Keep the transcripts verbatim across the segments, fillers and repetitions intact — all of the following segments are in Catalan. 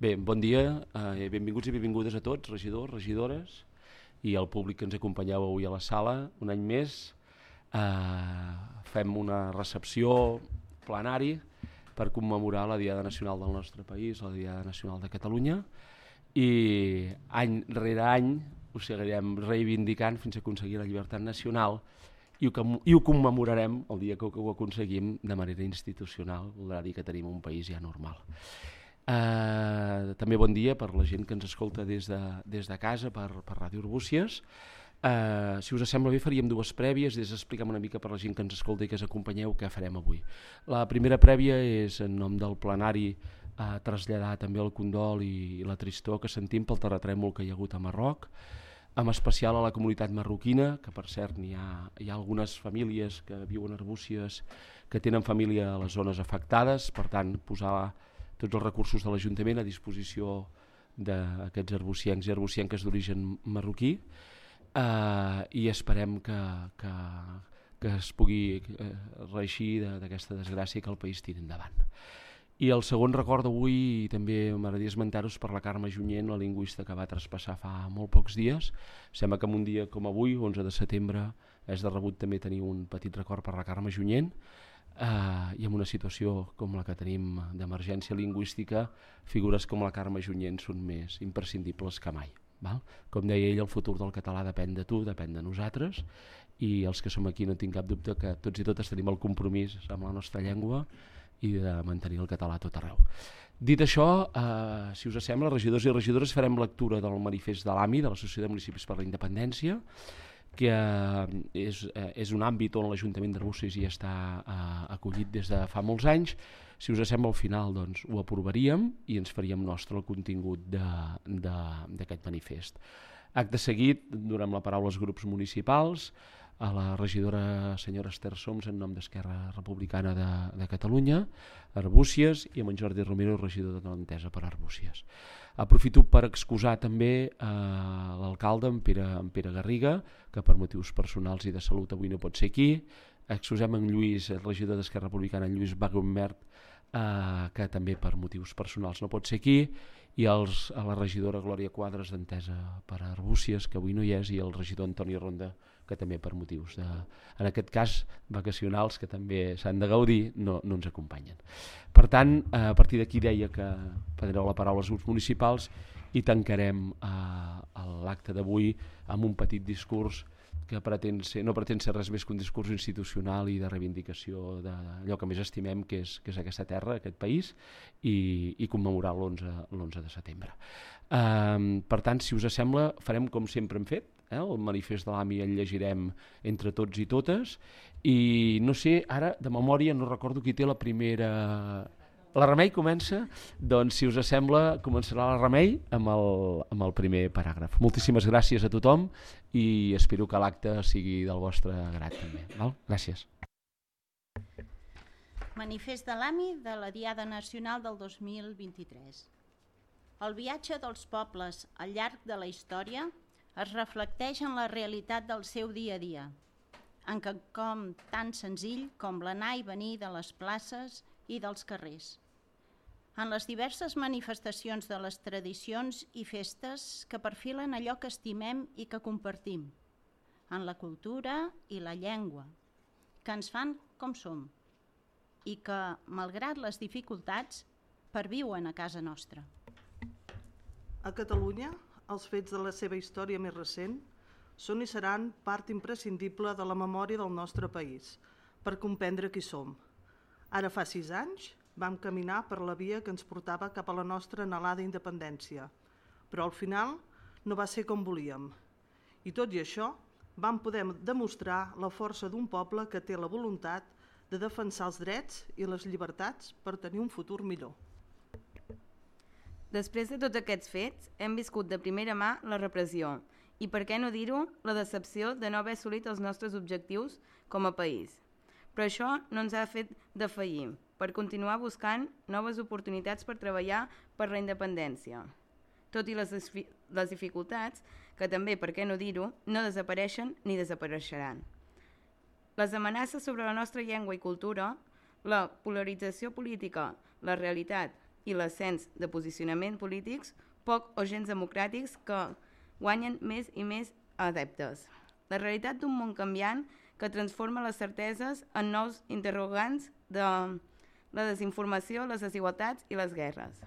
Bé, bon dia, eh, benvinguts i benvingudes a tots, regidors, regidores i al públic que ens acompanyeu avui a la sala. Un any més eh, fem una recepció plenari per commemorar la Diada Nacional del nostre país, la Diada Nacional de Catalunya, i any rere any ho seguirem reivindicant fins a aconseguir la llibertat nacional i ho, i ho commemorarem el dia que ho aconseguim de manera institucional, voldrà dir que tenim un país ja normal. Uh, també bon dia per la gent que ens escolta des de, des de casa per, per Ràdio Arbúcies. Uh, si us sembla bé faríem dues prèvies, des d'explicar una mica per la gent que ens escolta i que ens acompanyeu què farem avui. La primera prèvia és en nom del plenari uh, traslladar també el condol i, i la tristor que sentim pel terratrèmol que hi ha hagut a Marroc, en especial a la comunitat marroquina, que per cert hi ha, hi ha algunes famílies que viuen a Arbúcies que tenen família a les zones afectades, per tant posar tots els recursos de l'Ajuntament a disposició d'aquests arbuciencs i arbucienques d'origen marroquí, eh, i esperem que, que, que es pugui eh, reeixir d'aquesta desgràcia que el país tiri endavant. I el segon record d'avui també m'agradaria esmentar-vos per la Carme Junyent, la lingüista que va traspassar fa molt pocs dies. Sembla que en un dia com avui, onze de setembre, és de rebut també tenir un petit record per la Carme Junyent, Uh, i en una situació com la que tenim d'emergència lingüística, figures com la Carme Junyent són més imprescindibles que mai, val? Com deia ell, el futur del català depèn de tu, depèn de nosaltres, i els que som aquí no tinc cap dubte que tots i totes tenim el compromís amb la nostra llengua i de mantenir el català a tot arreu. Dit això, uh, si us sembla, regidors i regidores, farem lectura del manifest de l'A M I, de l'Associació de Municipis per la Independència, que és, és un àmbit on l'Ajuntament d'Arbúcies hi està eh, acollit des de fa molts anys. Si us sembla, al final doncs, ho aprovaríem i ens faríem nostre el contingut d'aquest manifest. Acte seguit, donem la paraula als grups municipals, a la regidora senyora Esther Soms en nom d'Esquerra Republicana de, de Catalunya, Arbúcies, i amb en Jordi Romero, regidor de l'Entesa per Arbúcies. Aprofito per excusar també eh, l'alcalde, en Pere, en Pere Garriga, que per motius personals i de salut avui no pot ser aquí. Excusem en Lluís, el regidor d'Esquerra Republicana, en Lluís Bagomert, eh, que també per motius personals no pot ser aquí, i els, a la regidora Glòria Quadres d'Entesa per Arbúcies, que avui no hi és, i el regidor Antoni Ronda, que també per motius, de, en aquest cas, vacacionals, que també s'han de gaudir, no, no ens acompanyen. Per tant, a partir d'aquí deia que prendreu la paraula als grups municipals i tancarem eh, l'acte d'avui amb un petit discurs que pretén ser, no pretén ser res més que un discurs institucional i de reivindicació d'allò que més estimem, que és, que és aquesta terra, aquest país, i, i commemorar l'onze de setembre. Um, per tant, si us sembla, farem com sempre hem fet, eh? El manifest de l'A M I el llegirem entre tots i totes, i no sé, ara de memòria no recordo qui té la primera... La Remei comença? Doncs si us sembla començarà la Remei amb el, amb el primer paràgraf. Moltíssimes gràcies a tothom i espero que l'acte sigui del vostre grat també. Val? Gràcies. Manifest de l'A M I de la Diada Nacional del dos mil vint-i-tres. El viatge dels pobles al llarg de la història es reflecteix en la realitat del seu dia a dia, en quelcom tan senzill com l'anar i venir de les places i dels carrers, en les diverses manifestacions de les tradicions i festes que perfilen allò que estimem i que compartim, en la cultura i la llengua, que ens fan com som i que, malgrat les dificultats, perviuen a casa nostra. A Catalunya, els fets de la seva història més recent són i seran part imprescindible de la memòria del nostre país per comprendre qui som. Ara fa sis anys vam caminar per la via que ens portava cap a la nostra anhelada independència, però al final no va ser com volíem. I tot i això, vam poder demostrar la força d'un poble que té la voluntat de defensar els drets i les llibertats per tenir un futur millor. Després de tots aquests fets, hem viscut de primera mà la repressió i, per què no dir-ho, la decepció de no haver assolit els nostres objectius com a país. Però això no ens ha fet defallir, per continuar buscant noves oportunitats per treballar per la independència. Tot i les, les dificultats, que també, per què no dir-ho, no desapareixen ni desapareixeran. Les amenaces sobre la nostra llengua i cultura, la polarització política, la realitat i l'ascens de posicionaments polítics poc o gens democràtics que guanyen més i més adeptes. La realitat d'un món canviant que transforma les certeses en nous interrogants de la desinformació, les desigualtats i les guerres.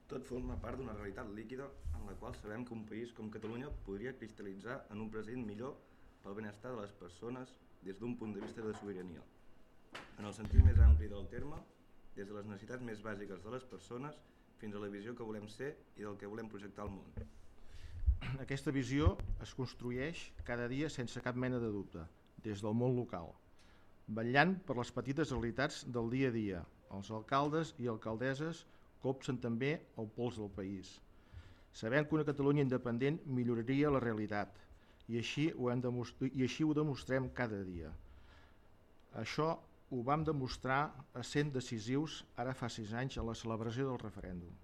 Tot forma part d'una realitat líquida en la qual sabem que un país com Catalunya podria cristal·litzar en un present millor pel benestar de les persones des d'un punt de vista de sobirania. En el sentit més ampli del terme, des de les necessitats més bàsiques de les persones fins a la visió que volem ser i del que volem projectar al món. Aquesta visió es construeix cada dia sense cap mena de dubte, des del món local, vetllant per les petites realitats del dia a dia. Els alcaldes i alcaldesses copsen també el pols del país. Sabem que una Catalunya independent milloraria la realitat i així ho, hem demostrat, i així ho demostrem cada dia. Això ho vam demostrar essent decisius ara fa sis anys a la celebració del referèndum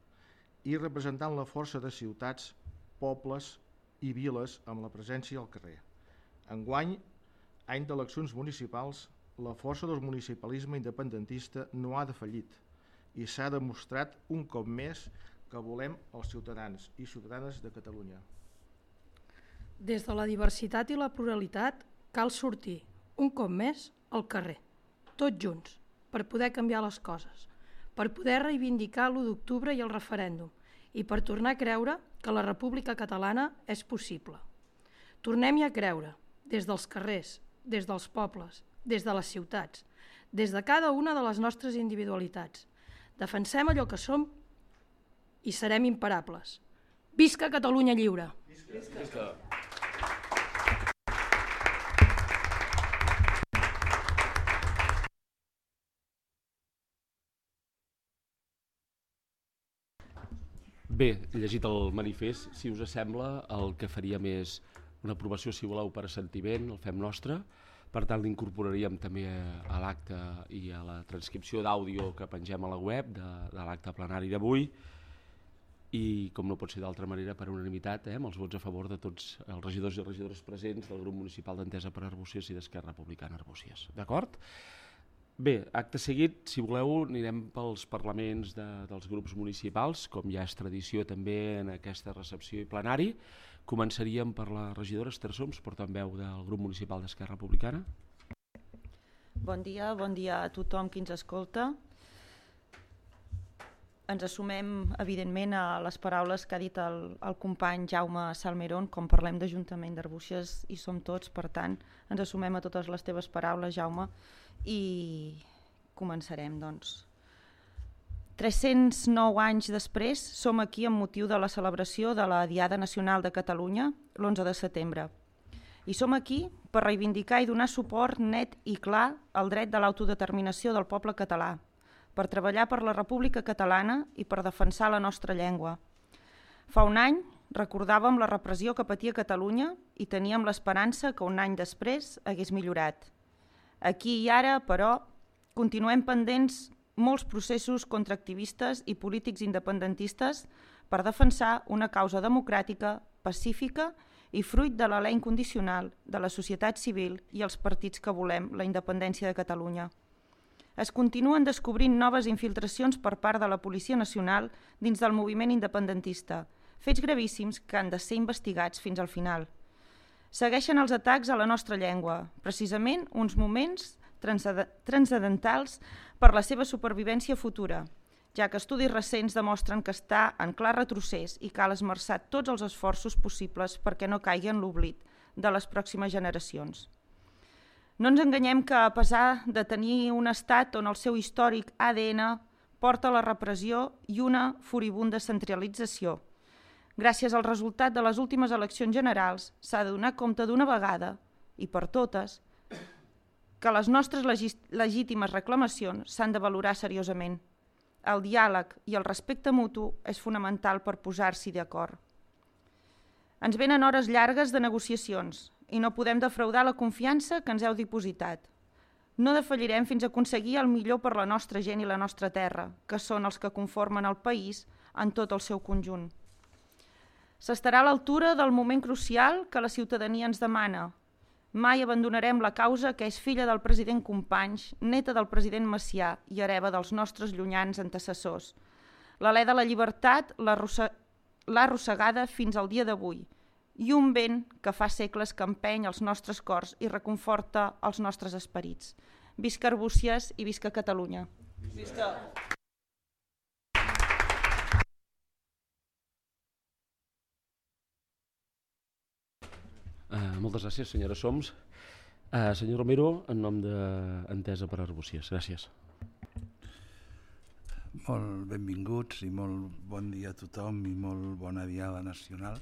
i representant la força de ciutats, pobles i viles amb la presència al carrer. Enguany, any d'eleccions municipals, la força del municipalisme independentista no ha defallit i s'ha demostrat un cop més que volem els ciutadans i ciutadanes de Catalunya. Des de la diversitat i la pluralitat cal sortir, un cop més, al carrer, tots junts, per poder canviar les coses, per poder reivindicar l'u d'octubre i el referèndum i per tornar a creure que la República Catalana és possible. Tornem-hi a creure, des dels carrers, des dels pobles, des de les ciutats, des de cada una de les nostres individualitats. Defensem allò que som i serem imparables. Visca Catalunya lliure! Visca! Visca. Bé, llegit el manifest, si us sembla, el que faríem és una aprovació, si voleu, per assentiment, el fem nostre. Per tant, l'incorporaríem també a l'acte i a la transcripció d'àudio que pengem a la web de, de l'acte plenari d'avui. I, com no pot ser d'altra manera, per unanimitat, eh, amb els vots a favor de tots els regidors i regidores presents del grup municipal d'Entesa per Arbúcies i d'Esquerra Republicana Arbúcies. D'acord? Bé, acte seguit, si voleu, anirem pels parlaments de, dels grups municipals, com ja és tradició també en aquesta recepció i plenari. Començaríem per la regidora Esther Soms, portaveu del grup municipal d'Esquerra Republicana. Bon dia, bon dia a tothom qui ens escolta. Ens assumem, evidentment, a les paraules que ha dit el, el company Jaume Salmerón, com parlem d'Ajuntament d'Arbúcies i som tots, per tant, ens assumem a totes les teves paraules, Jaume, i començarem, doncs. tres-cents nou anys després som aquí amb motiu de la celebració de la Diada Nacional de Catalunya, l'onze de setembre. I som aquí per reivindicar i donar suport net i clar al dret de l'autodeterminació del poble català, per treballar per la República Catalana i per defensar la nostra llengua. Fa un any recordàvem la repressió que patia Catalunya i teníem l'esperança que un any després hagués millorat. Aquí i ara, però, continuem pendents molts processos contra activistes i polítics independentistes per defensar una causa democràtica, pacífica i fruit de la lei incondicional de la societat civil i els partits que volem la independència de Catalunya. Es continuen descobrint noves infiltracions per part de la Policia Nacional dins del moviment independentista, fets gravíssims que han de ser investigats fins al final. Segueixen els atacs a la nostra llengua, precisament uns moments transcendentals per la seva supervivència futura, ja que estudis recents demostren que està en clar retrocés i cal esmerçar tots els esforços possibles perquè no caigui en l'oblit de les pròximes generacions. No ens enganyem que, a pesar de tenir un estat on el seu històric A D N porta la repressió i una furibunda centralització, gràcies al resultat de les últimes eleccions generals s'ha de donar compte d'una vegada, i per totes, que les nostres legítimes reclamacions s'han de valorar seriosament. El diàleg i el respecte mutu és fonamental per posar-s'hi d'acord. Ens venen hores llargues de negociacions i no podem defraudar la confiança que ens heu dipositat. No defallirem fins a aconseguir el millor per la nostra gent i la nostra terra, que són els que conformen el país en tot el seu conjunt. S'estarà a l'altura del moment crucial que la ciutadania ens demana. Mai abandonarem la causa que és filla del president Companys, neta del president Macià i hereva dels nostres llunyans antecessors. l'alè de la llibertat l'ha arrossegada fins al dia d'avui, i un vent que fa segles que empeny els nostres cors i reconforta els nostres esperits. Visca Arbúcies i visca Catalunya. Visca! Uh, moltes gràcies, senyora Soms. Uh, senyor Romero, en nom d'Entesa per Arbúcies. Gràcies. Molt benvinguts i molt bon dia a tothom i molt bona diada nacional.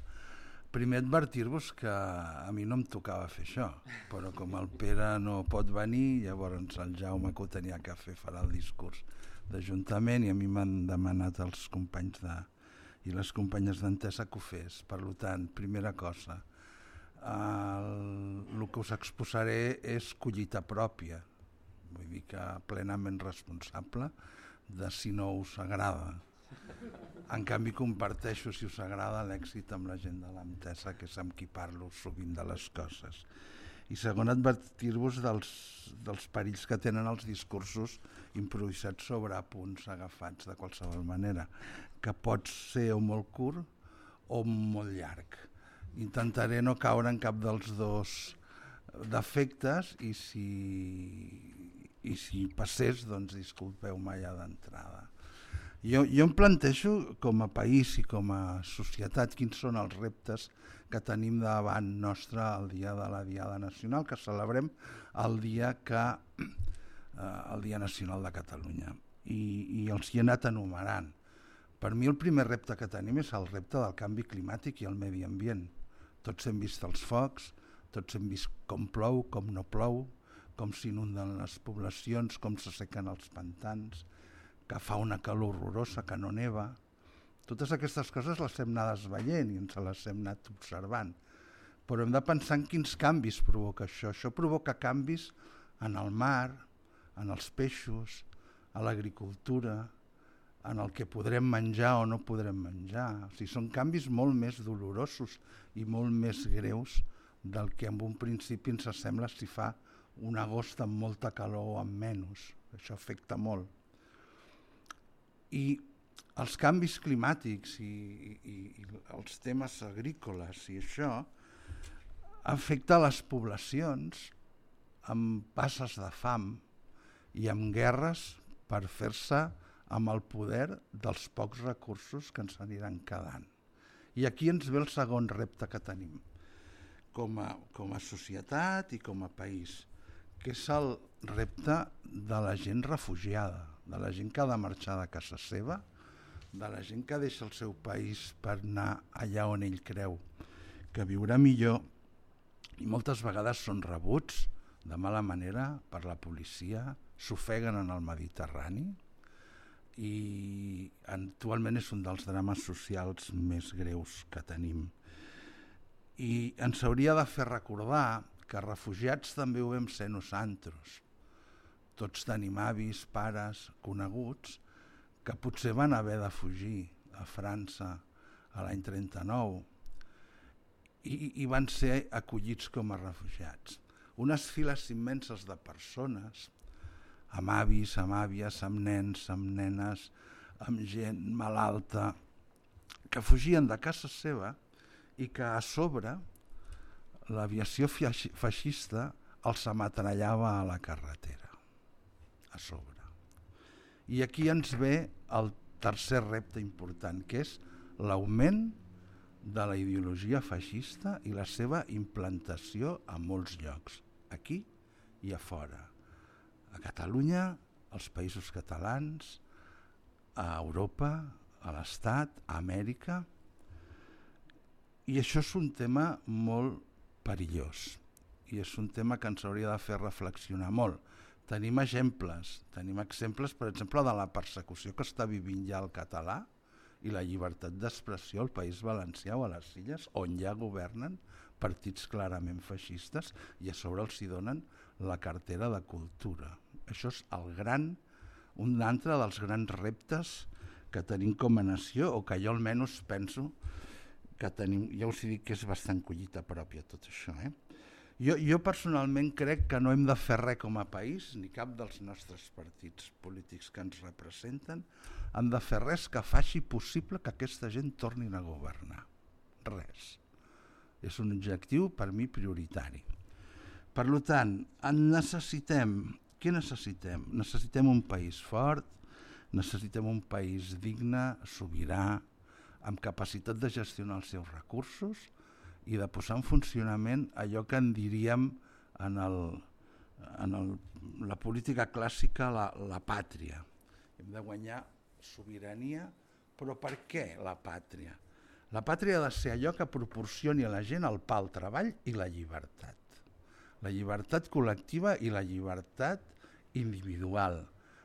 Primer advertir-vos que a mi no em tocava fer això, però com el Pere no pot venir, llavors el Jaume, que ho tenia que fer, farà el discurs d'Ajuntament, i a mi m'han demanat els companys de, i les companyes d'Entesa que ho fes. Per tant, primera cosa, el, el que us exposaré és collita pròpia, vull dir que plenament responsable de si no us agrada. En canvi, comparteixo, si us agrada, l'èxit amb la gent de l'Entesa, que és amb qui parlo sovint de les coses. I segon, advertir-vos dels, dels perills que tenen els discursos improvisats sobre punts agafats de qualsevol manera, que pot ser o molt curt o molt llarg. Intentaré no caure en cap dels dos defectes i si, i si passés, doncs disculpeu-me ja d'entrada. Jo, jo em plantejo com a país i com a societat quins són els reptes que tenim davant nostre el dia de la Diada Nacional, que celebrem el dia, que, eh, el dia Nacional de Catalunya. I, i els hi he anat enumerant. Per mi el primer repte que tenim és el repte del canvi climàtic i el medi ambient. Tots hem vist els focs, tots hem vist com plou, com no plou, com s'inunden les poblacions, com s'assequen els pantans, que fa una calor horrorosa, que no neva. Totes aquestes coses les hem anat veient i ens les hem anat observant. Però hem de pensar en quins canvis provoca això. Això provoca canvis en el mar, en els peixos, a l'agricultura, en el que podrem menjar o no podrem menjar. O sigui, són canvis molt més dolorosos i molt més greus del que en un principi ens sembla si fa un agost amb molta calor o amb menys. Això afecta molt. I els canvis climàtics i, i, i els temes agrícoles i això afecta les poblacions amb passes de fam i amb guerres per fer-se amb el poder dels pocs recursos que ens aniran quedant. I aquí ens ve el segon repte que tenim com a, com a societat i com a país, que és el repte de la gent refugiada, de la gent que ha de marxar de casa seva, de la gent que deixa el seu país per anar allà on ell creu que viurà millor, i moltes vegades són rebuts de mala manera per la policia, s'ofeguen en el Mediterrani, i actualment és un dels drames socials més greus que tenim. I ens hauria de fer recordar que refugiats també ho vam ser nosaltres. Tots tenim avis, pares, coneguts, que potser van haver de fugir a França a l'any trenta-nou i, i van ser acollits com a refugiats. Unes files immenses de persones, amb avis, amb àvies, amb nens, amb nenes, amb gent malalta, que fugien de casa seva i que a sobre l'aviació feixista els ametrallava a la carretera. A sobre. I aquí ens ve el tercer repte important, que és l'augment de la ideologia feixista i la seva implantació a molts llocs, aquí i a fora. A Catalunya, als països catalans, a Europa, a l'Estat, a Amèrica. I això és un tema molt perillós i és un tema que ens hauria de fer reflexionar molt. Tenim exemples, tenim exemples, per exemple, de la persecució que està vivint ja el català i la llibertat d'expressió al País Valencià o a les Illes, on ja governen partits clarament feixistes i a sobre els hi donen la cartera de cultura. Això és el gran, un altre dels grans reptes que tenim com a nació, o que jo almenys penso que tenim, ja us he dit que és bastant collita pròpia tot això, eh? Jo, jo personalment crec que no hem de fer res com a país, ni cap dels nostres partits polítics que ens representen, han de fer res que faci possible que aquesta gent tornin a governar. Res. És un objectiu per mi prioritari. Per tant, necessitem, què necessitem? Necessitem un país fort, necessitem un país digne, sobirà, amb capacitat de gestionar els seus recursos i de posar en funcionament allò que en diríem en, el, en el, la política clàssica la, la pàtria. Hem de guanyar sobirania, però per què la pàtria? La pàtria ha de ser allò que proporcioni a la gent el pa, el treball i la llibertat. La llibertat col·lectiva i la llibertat individual.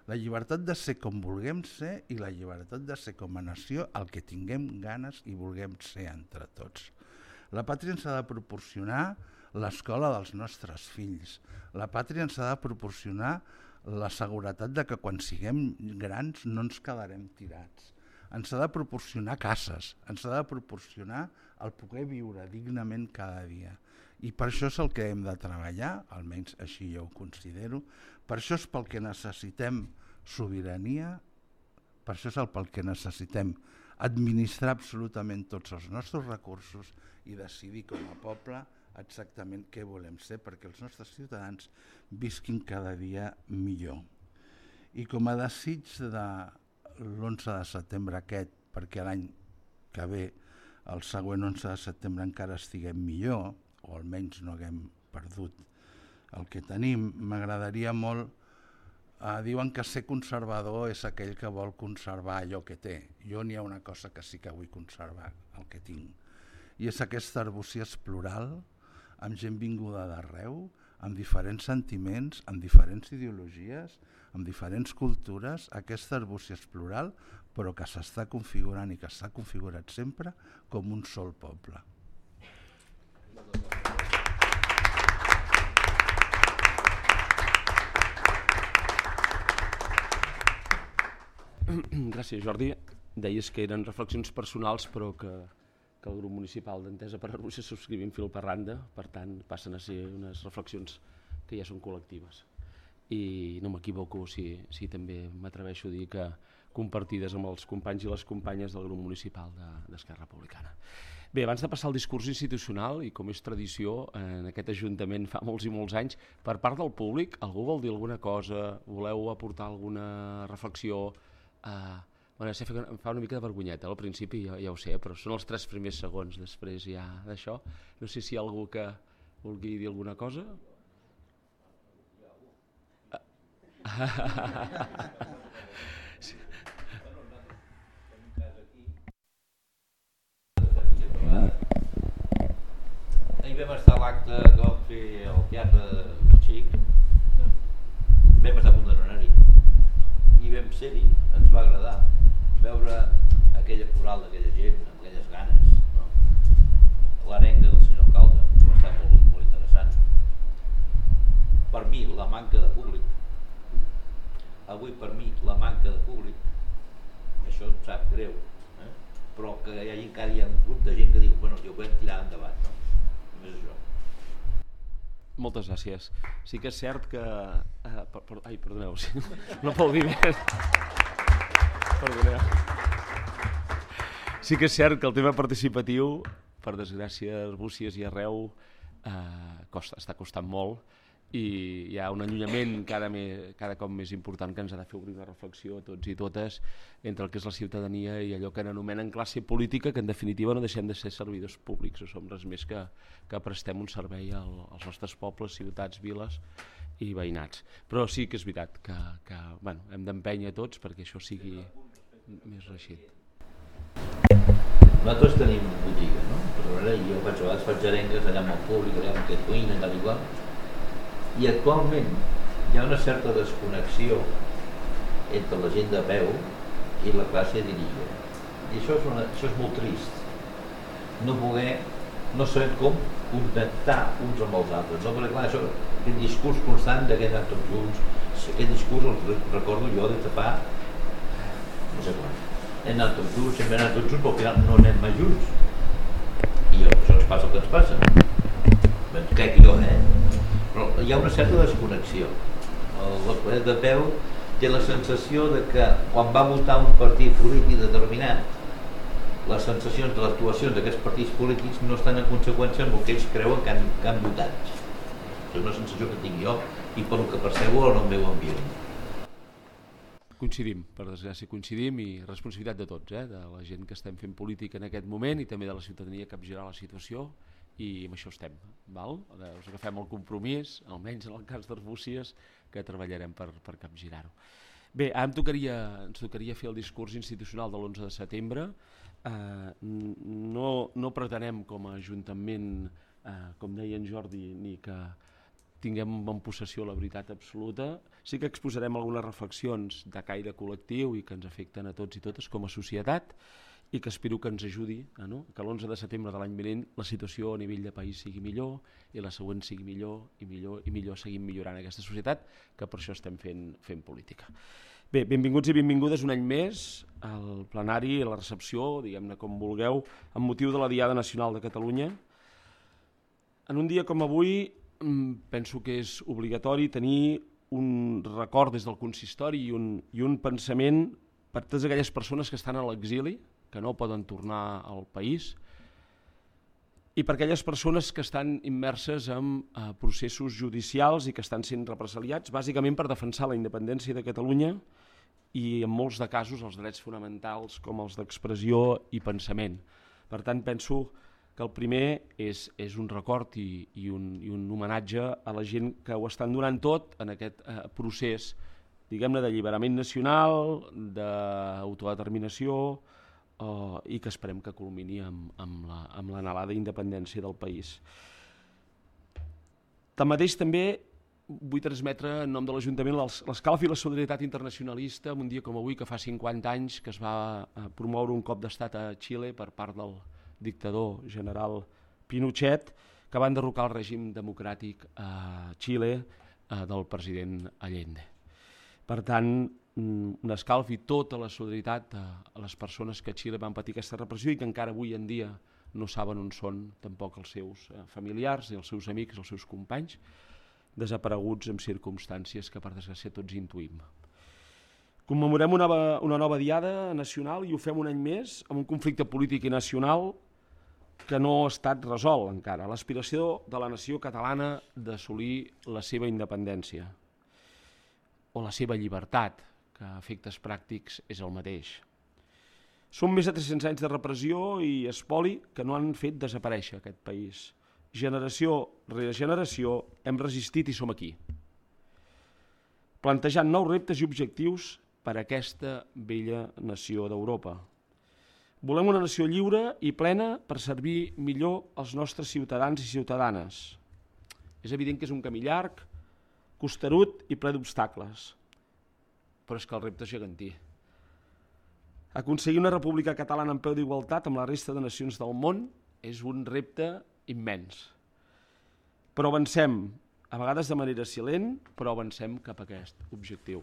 La llibertat de ser com vulguem ser i la llibertat de ser com a nació el que tinguem ganes i vulguem ser entre tots. La pàtria ens ha de proporcionar l'escola dels nostres fills. La pàtria ens ha de proporcionar la seguretat de que quan siguem grans no ens quedarem tirats. Ens ha de proporcionar cases, ens ha de proporcionar el poder viure dignament cada dia. I per això és el que hem de treballar, almenys així jo ho considero. Per això és pel que necessitem sobirania, per això és el pel que necessitem administrar absolutament tots els nostres recursos i decidir com a poble exactament què volem ser perquè els nostres ciutadans visquin cada dia millor. I com a desig de l'onze de setembre aquest, perquè l'any que ve, el següent onze de setembre encara estiguem millor, o almenys no haguem perdut el que tenim, m'agradaria molt, eh, diuen que ser conservador és aquell que vol conservar allò que té. Jo n'hi ha una cosa que sí que vull conservar, el que tinc. I és aquesta arbúcies plural, amb gent vinguda d'arreu, amb diferents sentiments, amb diferents ideologies, amb diferents cultures, aquesta arbúcies plural, però que s'està configurant i que s'ha configurat sempre com un sol poble. Gràcies, Jordi. Deies que eren reflexions personals, però que, que el grup municipal d'Entesa per Arbúcies subscrivim fil per randa, per tant passen a ser unes reflexions que ja són col·lectives. I no m'equivoco si, si també m'atreveixo a dir que compartides amb els companys i les companyes del grup municipal d'Esquerra Republicana. Bé, abans de passar al discurs institucional, i com és tradició en aquest Ajuntament fa molts i molts anys, per part del públic, algú vol dir alguna cosa, voleu aportar alguna reflexió? Uh, bueno, em fa una mica de vergonyeta al principi, ja, ja ho sé, però són els tres primers segons després ja d'això. No sé si hi ha algú que vulgui dir alguna cosa. Sí. Ahir vam estar a l'acte que vam fer al Teatre Xic, vam estar a punt d'anar-hi i vam ser-hi, ens va agradar veure aquella coral d'aquella gent amb aquelles ganes, no? L'arenga del senyor alcalde va estar molt, molt interessant. Per mi la manca de públic, avui per mi la manca de públic, això em sap greu, eh? Però que hi ha, encara hi ha un grup de gent que diu, bueno, jo ho vam tirar endavant, no? Només això. Moltes gràcies. Sí que és cert que... Uh, per, per, ai, perdoneu, sí. No aplaudiment. Perdoneu. Sí que és cert que el tema participatiu, per desgràcia, a Arbúcies i arreu, uh, costa, està costant molt, i hi ha un allunyament cada, me, cada cop més important que ens ha de fer obrir una reflexió a tots i totes entre el que és la ciutadania i allò que anomenen classe política, que en definitiva no deixem de ser servidors públics, o som res més que, que prestem un servei al, als nostres pobles, ciutats, viles i veïnats. Però sí que és veritat que, que bueno, hem d'empènyer tots perquè això sigui més reixit. Nosaltres tenim botiga, no? Però jo faig, a vegades faig arengues allà amb el públic, allà amb aquest cuina, tal i qual, i actualment hi ha una certa desconnexió entre la gent de peu i la classe dirigent. I això és, una, això és molt trist. No poder, no saber com connectar uns amb els altres. No? Perquè clar, això, aquest discurs constant de que hem anat tots junts, aquest discurs el recordo jo des de fa no sé quan. Hem anat tots junts, sempre hem anat tots junts, però al final no anem mai junts. I això ens passa el que ens passa. crec jo, eh? Però hi ha una certa desconnexió. L'Escolet de Peu té la sensació de que quan va votar un partit polític determinat, les sensacions de les actuacions d'aquests partits polítics no estan en conseqüència amb el que ells creuen que han, que han votat. És una sensació que tinc jo i pel que percebo en el meu ambient. Coincidim, per desgràcia coincidim, i responsabilitat de tots, eh? De la gent que estem fent política en aquest moment i també de la ciutadania que capgirar la situació, i amb això estem, val? Us agafem el compromís, almenys en el cas d'Arbúcies, que treballarem per, per capgirar-ho. Bé, ara em tocaria, ens tocaria fer el discurs institucional de l'onze de setembre. Eh, no, no pretenem com a Ajuntament, eh, com deia en Jordi, ni que tinguem en possessió la veritat absoluta. Sí que exposarem algunes reflexions de caire col·lectiu i que ens afecten a tots i totes com a societat, i que espero que ens ajudi, eh, no? Que l'onze de setembre de l'any vinent la situació a nivell de país sigui millor i la següent sigui millor i millor i millor seguim millorant aquesta societat, que per això estem fent, fent política. Bé, benvinguts i benvingudes un any més al plenari i a la recepció, diguem-ne com vulgueu, amb motiu de la Diada Nacional de Catalunya. En un dia com avui penso que és obligatori tenir un record des del consistori i un, i un pensament per totes aquelles persones que estan a l'exili, que no poden tornar al país, i per aquelles persones que estan immerses en eh, processos judicials i que estan sent represaliats, bàsicament per defensar la independència de Catalunya i en molts de casos els drets fonamentals com els d'expressió i pensament. Per tant, penso que el primer és, és un record i, i, un, i un homenatge a la gent que ho estan donant tot en aquest eh, procés, diguem-ne, d'alliberament nacional, d'autodeterminació, Uh, i que esperem que culmini amb, amb, la, amb l'anhelada independència del país. Tanmateix també vull transmetre en nom de l'Ajuntament l'escalf i la solidaritat internacionalista en un dia com avui, que fa cinquanta anys que es va uh, promoure un cop d'estat a Xile per part del dictador general Pinochet, que va enderrocar el règim democràtic a Xile uh, del president Allende. Per tant, un escalf i tota la solidaritat a les persones que a Xile van patir aquesta repressió i que encara avui en dia no saben on són tampoc els seus familiars, els seus amics, els seus companys, desapareguts en circumstàncies que per desgràcia tots intuïm. Commemorem una, una nova diada nacional i ho fem un any més amb un conflicte polític i nacional que no ha estat resolt encara, l'aspiració de la nació catalana d'assolir la seva independència o la seva llibertat, que a efectes pràctics és el mateix. Són més de tres-cents anys de repressió i espoli que no han fet desaparèixer aquest país. Generació rere generació hem resistit i som aquí, plantejant nous reptes i objectius per a aquesta vella nació d'Europa. Volem una nació lliure i plena per servir millor als nostres ciutadans i ciutadanes. És evident que és un camí llarg, costerut i ple d'obstacles, però és que el repte és gegantí. Aconseguir una república catalana en peu d'igualtat amb la resta de nacions del món és un repte immens. Però avancem, a vegades de manera silent, però avancem cap a aquest objectiu.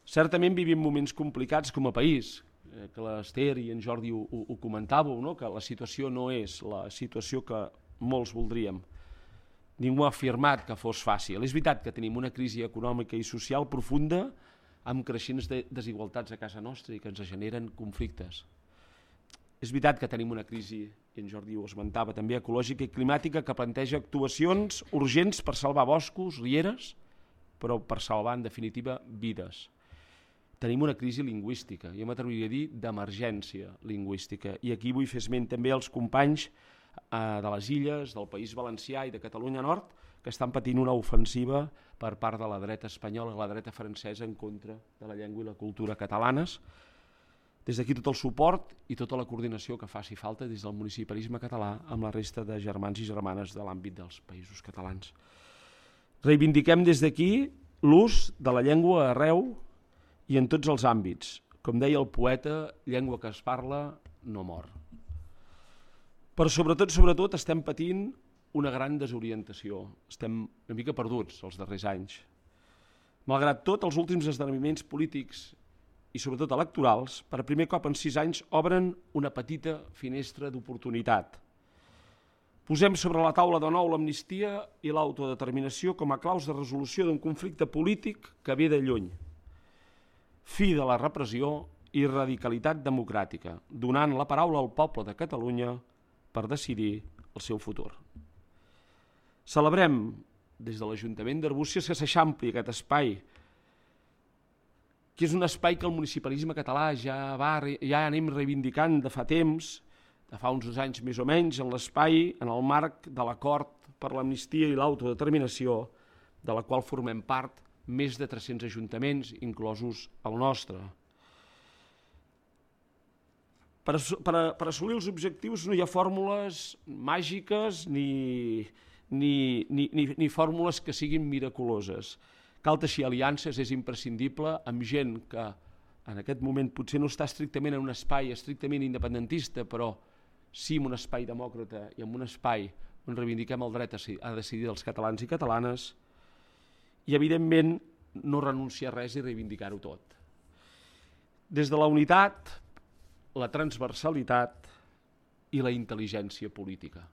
Certament vivim moments complicats com a país, que l'Ester i en Jordi ho, ho, ho comentàveu, no? Que la situació no és la situació que molts voldríem. Ningú ha afirmat que fos fàcil. És veritat que tenim una crisi econòmica i social profunda amb creixents de desigualtats a casa nostra i que ens generen conflictes. És veritat que tenim una crisi, i en Jordi ho esmentava també, ecològica i climàtica que planteja actuacions urgents per salvar boscos, rieres, però per salvar, en definitiva, vides. Tenim una crisi lingüística, jo m'atreviria a dir d'emergència lingüística, i aquí vull fer esment també als companys de les Illes, del País Valencià i de Catalunya Nord, que estan patint una ofensiva per part de la dreta espanyola i la dreta francesa en contra de la llengua i la cultura catalanes. Des d'aquí tot el suport i tota la coordinació que faci falta des del municipalisme català amb la resta de germans i germanes de l'àmbit dels països catalans. Reivindiquem des d'aquí l'ús de la llengua arreu i en tots els àmbits. Com deia el poeta, llengua que es parla no mor. Però sobretot, sobretot, estem patint una gran desorientació. Estem una mica perduts els darrers anys. Malgrat tot, els últims esdeveniments polítics i sobretot electorals, per primer cop en sis anys obren una petita finestra d'oportunitat. Posem sobre la taula de nou l'amnistia i l'autodeterminació com a claus de resolució d'un conflicte polític que ve de lluny. Fi de la repressió i radicalitat democràtica, donant la paraula al poble de Catalunya per decidir el seu futur. Celebrem des de l'Ajuntament d'Arbúcies que s'eixampli aquest espai, que és un espai que el municipalisme català ja, va, ja anem reivindicant de fa temps, de fa uns anys més o menys, en l'espai, en el marc de l'acord per l'amnistia i l'autodeterminació, de la qual formem part més de tres-cents ajuntaments, inclosos el nostre. Per, per, per assolir els objectius no hi ha fórmules màgiques ni, ni, ni, ni, ni fórmules que siguin miraculoses. Cal teixir aliances, és imprescindible, amb gent que en aquest moment potser no està estrictament en un espai estrictament independentista, però sí en un espai demòcrata i en un espai on reivindiquem el dret a decidir dels catalans i catalanes, i evidentment no renunciar a res i reivindicar-ho tot. Des de la unitat, la transversalitat i la intel·ligència política.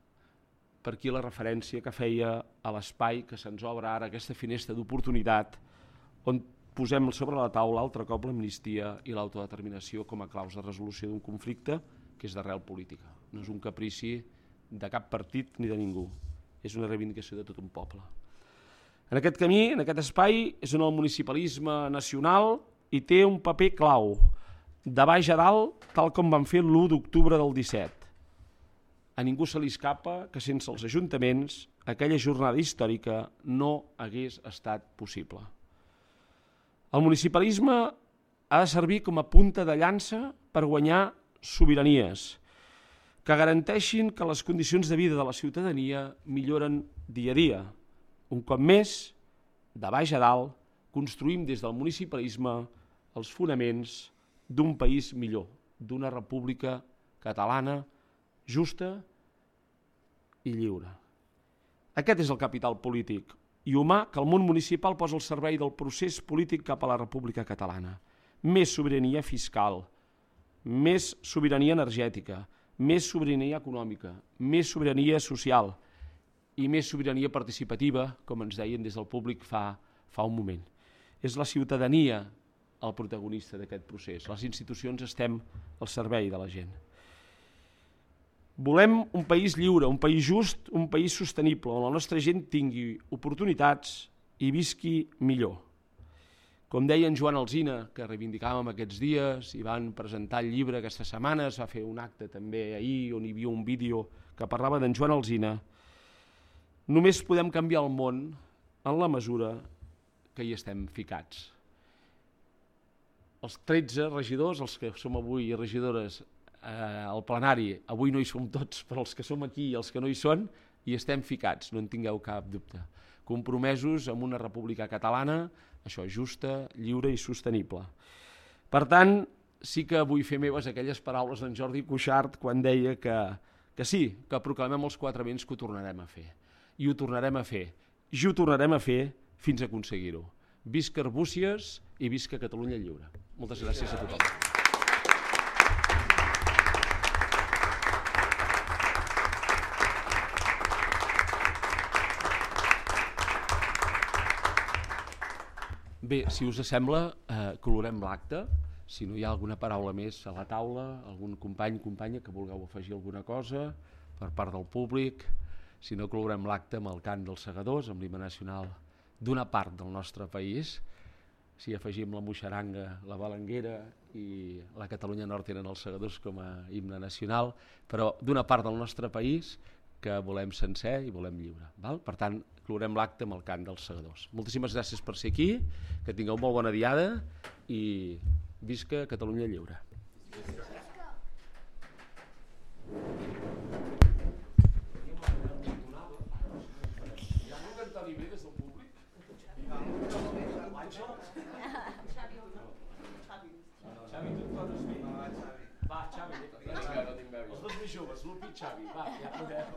Per aquí la referència que feia a l'espai que se'ns obre ara, aquesta finestra d'oportunitat, on posem sobre la taula altre cop l'amnistia i l'autodeterminació com a claus de resolució d'un conflicte que és d'arrel política. No és un caprici de cap partit ni de ningú, és una reivindicació de tot un poble. En aquest camí, en aquest espai, és on el municipalisme nacional hi té un paper clau, de baix a dalt, tal com van fer l'u d'octubre del disset. A ningú se li escapa que sense els ajuntaments aquella jornada històrica no hagués estat possible. El municipalisme ha de servir com a punta de llança per guanyar sobiranies, que garanteixin que les condicions de vida de la ciutadania milloren dia a dia. Un cop més, de baix a dalt, construïm des del municipalisme els fonaments d'un país millor, d'una república catalana justa i lliure. Aquest és el capital polític i humà que el món municipal posa al servei del procés polític cap a la República Catalana. Més sobirania fiscal, més sobirania energètica, més sobirania econòmica, més sobirania social i més sobirania participativa, com ens deien des del públic fa, fa un moment. És la ciutadania el protagonista d'aquest procés. Les institucions estem al servei de la gent. Volem un país lliure, un país just, un país sostenible, on la nostra gent tingui oportunitats i visqui millor. Com deia en Joan Alsina, que reivindicàvem aquests dies, i van presentar el llibre aquesta setmana, es va fer un acte també ahir on hi havia un vídeo que parlava d'en Joan Alsina, només podem canviar el món en la mesura que hi estem ficats. Els tretze regidors, els que som avui regidores eh, al plenari, avui no hi som tots, però els que som aquí i els que no hi són, hi estem ficats, no en tingueu cap dubte. Compromesos amb una república catalana, això, justa, lliure i sostenible. Per tant, sí que vull fer meves aquelles paraules d'en Jordi Cuixart quan deia que, que sí, que proclamem els quatre vents que ho tornarem a fer. I ho tornarem a fer. I ho tornarem a fer fins a aconseguir-ho. Visca Arbúcies i visca Catalunya lliure. Moltes gràcies a tothom. Bé, si us sembla, eh, colorem l'acte. Si no hi ha alguna paraula més a la taula, algun company, companya que vulgueu afegir alguna cosa per part del públic, si no colorem l'acte amb el cant dels segadors, amb l'himne nacional d'una part del nostre país. Si afegim la moixaranga, la balanguera i la Catalunya Nord tenen els segadors com a himne nacional, però d'una part del nostre país que volem sencer i volem lliure. Val? Per tant, clorem l'acte amb el cant dels segadors. Moltíssimes gràcies per ser aquí, que tingueu molt bona diada i visca Catalunya lliure. Va, Xavi, els dos més joves, l'Upi i Xavi, va, ja podeu.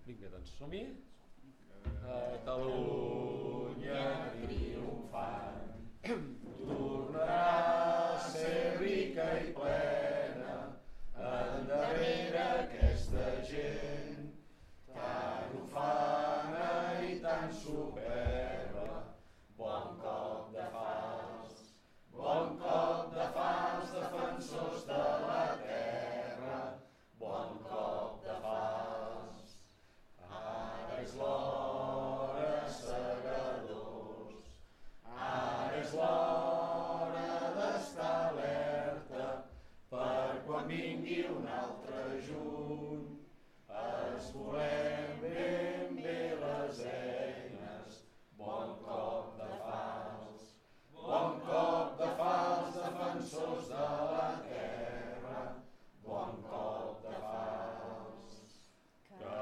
Vinga, doncs, som-hi. Catalunya triomfant, tornarà a ser rica i plena, endarrere de la terra, bon cop de falç. Que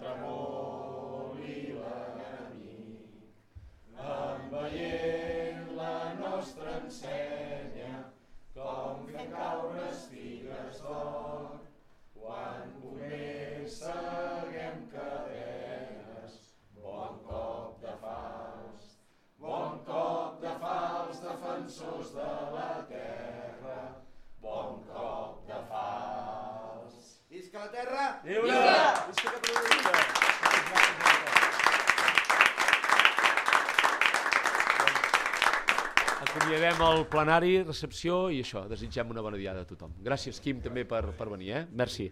tremoli l'enemic, enveient la nostra ensenya, com fent caure espigues d'or, quan pomers seguem cadenes, bon cop de falç. Bon cop de falç, defensors de la terra, bon cop de falç. Visca la terra! Lliure! Visca Catalunya! Acomiadem el plenari, recepció i això, desitgem una bona diada a tothom. Gràcies, Quim, també per, per venir, eh? Merci.